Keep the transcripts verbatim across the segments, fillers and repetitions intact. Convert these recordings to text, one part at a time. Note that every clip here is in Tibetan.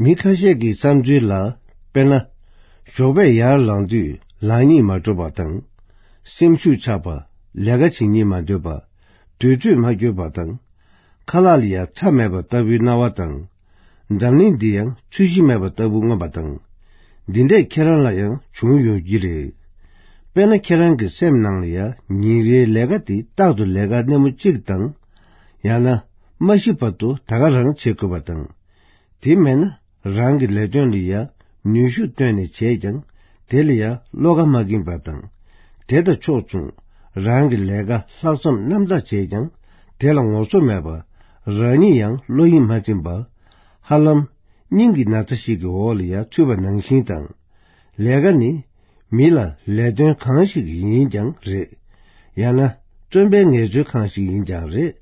མི་ཁ་ཤས་ཀྱི་བསམ་ཚུལ་ལ། དཔེར་ན། ཞོགས་པས་ཡར་ལངས་དུས་ལངས་སྙིང་མ་བྲོ་བ་དང་། སེམས་ཤུགས་ཆག་པ། ལས་ཀ་བྱེད་སྙིང་མ་འདོད་པ། དུས་ཚོད་མ་འཁྱོལ་བ་དང་། ཁ་ལག་ལ་ཡང་ཚྭ་མེད་པ་ལྟ་བུའི་སྣང་བ་དང་། འཛམ་གླིང་འདི་ཡང་ཚོས་གཞི་མེད་པ་ལྟ་བུ་མངོན་པ་དང་། འདི་འདྲས་ཁྱེད་རང་ལ་ཡང་བྱུང་ཡོང་གི་རེད། དཔེར་ན། ཁྱེད་རང་གི་སེམས་ནང་ལ་ཡང་ཉིན་རེའི་ལས་ཀ་དེ་རྟག་ཏུ་ལས་ཀ་སྣེ་མོ་གཅིག་དང་། ཡང་ན། མ་ཤི་བར་དུ་ད་ག་རང་བྱེད་དགོས་པ་དང་། དེ་མེད་ན་རང་གི་ལས་དོན་ལ་ཡ་ནུས་ཤུགས་བཏོན་ནས་བྱས་ཀྱང་དེ་ལ་ཡ་བློ་ཁ་མ་འགེངས་པ་དང་། དེ་དང་ཕྱོགས་མཚུངས་རང་གི་ལས་ཀ་ལྷག་བསམ་རྣམ་དག་བྱས་ཀྱང་དེ་ལ་ངོ་སོ་མེད་པ། རང་ཉིད་ཡང་བློ་ཡིད་མ་ཚིམ་པ། ཧ་ལམ་སྙིང་གི་ན་ཚ་ཞིག་གི་འོག་ལ་ཡ་ཚུད་པ་ནང་བཞིན་དང་། ལས་ཀ་ནི་མི་ལ་ལས་དོན་གང་ཞིག་ཡིན་ཀྱང་རེད། ཡང་ན་བཙོན་པའི་ངལ་རྩོལ་ཁང་ཞིག་ཡིན་ཀྱང་རེད།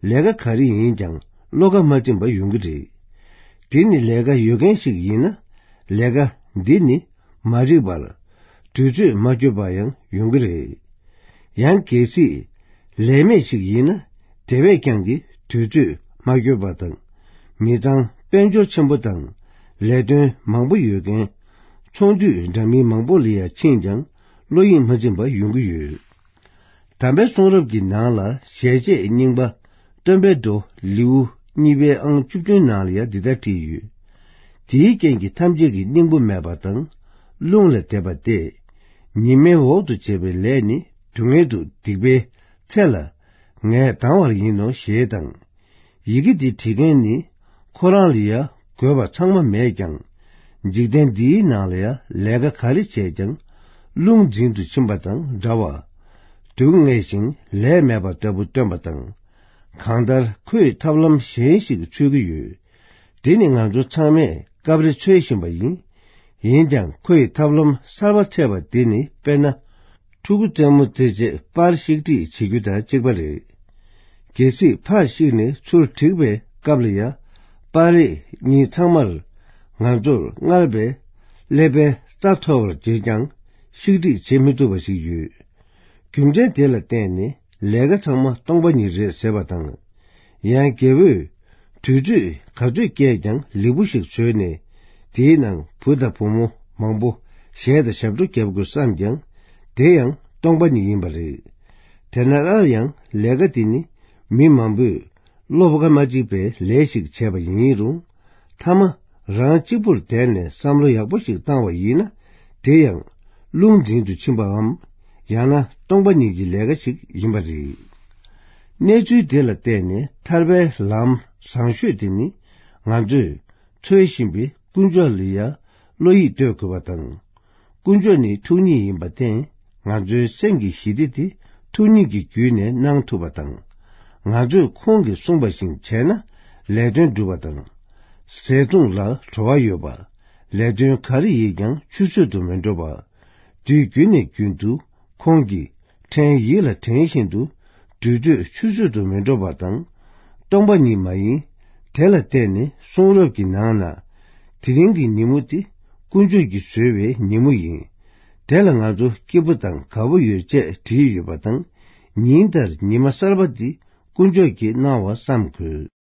ལས་ཀ་ག་རེ་ཡིན་ཀྱང་བློ་ཁ་མ་ཚིམ་པ་ཡོང་གི་རེད། དེ་ནི་ལས་ཀ་ཡོད་མཁན་ཞིག་ཡིན་ན་ལས་ཀ་འདི་ནི་མ་འགྲིག་པར་དུས་ཚོད་མ་འཁྱོལ་བ་ཡང་ཡོང་གི་རེད། ཡང་གལ་སྲིད་ལས་མེད་ཞིག་ཡིན་ན་དེ་བས་ཀྱང་གི་དུས་ཚོད་མ་འཁྱོལ་བ་དང་། མི་ཚང་དཔལ་འབྱོར་ཆེན་པོ་དང་ལས་དོན་མང་པོ་ཡོད་མཁན་ཚོང་དུས་འདྲ་མིན་མང་པོ་ལ་ཡ་ཕྱིན་ཀྱང་བློ་ཡིད་མ་ཚིམ་པ་ཡོང་གི་ཡོད། དམ་པའི་གསུང་རབ་ཀྱི་ནང་ལ་ཞལ་ཆད་རྙིང་པ་སྟོན་པའི་མདོ་ལེའུ་གཉིས་པའི་ཨང་བཅུ་བདུན་ནང་ལ་ཡང་འདི་ལྟར་བྲིས་ཡོད། དེའི་རྐྱེན་གྱིས་ཐམས་ཅད་ཀྱི་སྙིང་པོ་མེད་པ་དང་རླུང་ལ་བསྡེབས་པ་སྟེ། ཉི་མའི་འོག་ཏུ་བྱས་པའི་ལས་ནི་སྡུག་བསྔལ་དུ་སྡིག་པའི་ཚེ་ལ་ངས་ལྡང་བར་ཡིན་ནོ་ཞེས་དང་། ཡི་གེ་འདི་བྲིས་མཁན་ནི་ཁོ་རང་ལ་ཡ་དགོས་པ་ཚང་མ་མེད་ཀྱང་། འཇིག་རྟེན་འདིའི་ནང་ལ་ཡ་ལས་ཀ་ག་རེ་བྱས་ཀྱང་རླུང་འཛིན་དུ་ཕྱིན་པ་དང་འདྲ་བ། སྡུག་བསྔལ་ཞིང་ལས་མེད་པ་ལྟ་བུ་སྟོན་པ་དང་། གང་ལྟར་ཁོས་ཐབས་ལམ་གཞན་ཞིག་འཚོལ་གྱི་ཡོད། དེ་ནི་ང་ཚོ་ཚང་མས་སྐབས་རེ་འཚོལ་བཞིན་པ་ཡིན། ཡིན་ཀྱང་ཁོས་ཐབས་ལམ་གསར་པ་འཚོལ་བ་དེ་ནི་དཔེར་ན། ཕྲུ་གུ་རྩེད་མོ་རྩེ་རྗེས་པར་བཤིག་སྒྲིག་བྱེད་རྒྱུ་དང་གཅིག་པ་རེད། གལ་སྲིད་ཕར་བཤིག་ནས་ཚུར་བསྒྲིགས་པའི་སྐབས་ལ་ཡ། པར་རིས་གཉིས་ཚང་མར་ང་ཚོར་སྔར་བས་ཀླད་པའི་རྩ་མཐོ་བར་བྱེད་ཀྱང་བཤིག་སྒྲིག་བྱེད་མི་ཐུབ་པ་ཞིག་ཡོད། རྒྱུ་མཚན་དེ་ལ་བརྟེན་ནས་ལས་ཀ་ཚང་མ་སྟོང་པ་ཉིད་རེད་ཟེར་བ་དང་། ཡང་རྒྱལ་པོས་དུས་ཚོད་ག་ཚོད་བསྐྱལ་ཀྱང་ལེགས་པོ་ཞིག་བཟོས་ནས་དེའི་ནང་བུ་དང་བུ་མོ་མང་པོ་གཞས་དང་ཞབས་བྲོ་རྒྱབ་དགོས་བསམ་ཀྱང་དེ་ཡང་སྟོང་པ་ཉིད་ཡིན་པ་རེད། དེ་ན་སླར་ཡང་ལས་ཀ་དེ་ནི་མི་མང་པོས་བློ་ཁ་མ་གཅིག་པའི་ལས་ཤིག་བྱས་པ་ཡིན་རུང་། མཐའ་མ་རང་གཅིག་པུར་བསྡད་ནས་བསམ་བློ་ཡག་པོ་ཞིག་བཏང་བ་ཡིན་ན་དེ་ཡང་རླུང་འཛིན་དུ་ཕྱིན་པའམ། ཡང་ན་སྟོང་པ་ཉིད་ཀྱི་ལས་ཀ་ཞིག་ཡིན་པ་རེད། གནས་ཚུལ་དེ་ལ་བརྟེན་ནས་ཐར་པའི་ལམ་བཟང་ཤོས་དེ་ནི་ང་ཚོས་འཚོལ་བཞིན་པའི་དཀོན་མཆོག་ལ་ཡ་བློ་ཡིད་གཏོད་དགོས་པ་དང་། དཀོན་མཆོག་ནི་ཐུགས་ཉིད་ཡིན་པར་བརྟེན། ང་ཚོའི་སེམས་ཀྱི་ཞི་བདེ་དེ་ཐུགས་ཉིད་ཀྱི་བརྒྱུད་ནས་གནང་ཐུབ་པ་དང་། ང་ཚོས་ཁོང་གིས་གསུངས་པ་བཞིན་བྱས་ན་ལས་དོན་འགྲུབ་པ་དང་། ཟས་འཐུང་ལ་བྲོ་བ་ཡོད་པ། ལས་དོན་ག་རེ་ཡིན་ཀྱང་ཆུད་ཟོས་དུ་མི་འགྲོ་བ། དུས་རྒྱུན་ནས་རྒྱུན་དུ་ཁོང་གིས་དྲན་ཡིད་ལ་དྲན་བཞིན་དུ་དུས་ཚོད་ཆུད་ཟོས་དུ་མི་འགྲོ་བ་དང་། སྟོང་པ་ཉིད་མ་ཡིན། དེ་ལ་བརྟེན་ནས་གསུང་རབ་ཀྱི་ནང་ན། དེ་རིང་གི་ཉིན་མོ་དེ་དཀོན་མཆོག་གིས་བཟོས་པའི་ཉིན་མོ་ཡིན། དེ་ལ་ང་ཚོ་སྐྱིད་པོ་དང་དགའ་པོ་ཡོད་ཅེས་བྲིས་ཡོད་པ་དང་། ཉིན་ལྟར་ཉི་མ་གསར་པ་འདི་དཀོན་མཆོག་གིས་གནང་བ་བསམ་དགོས།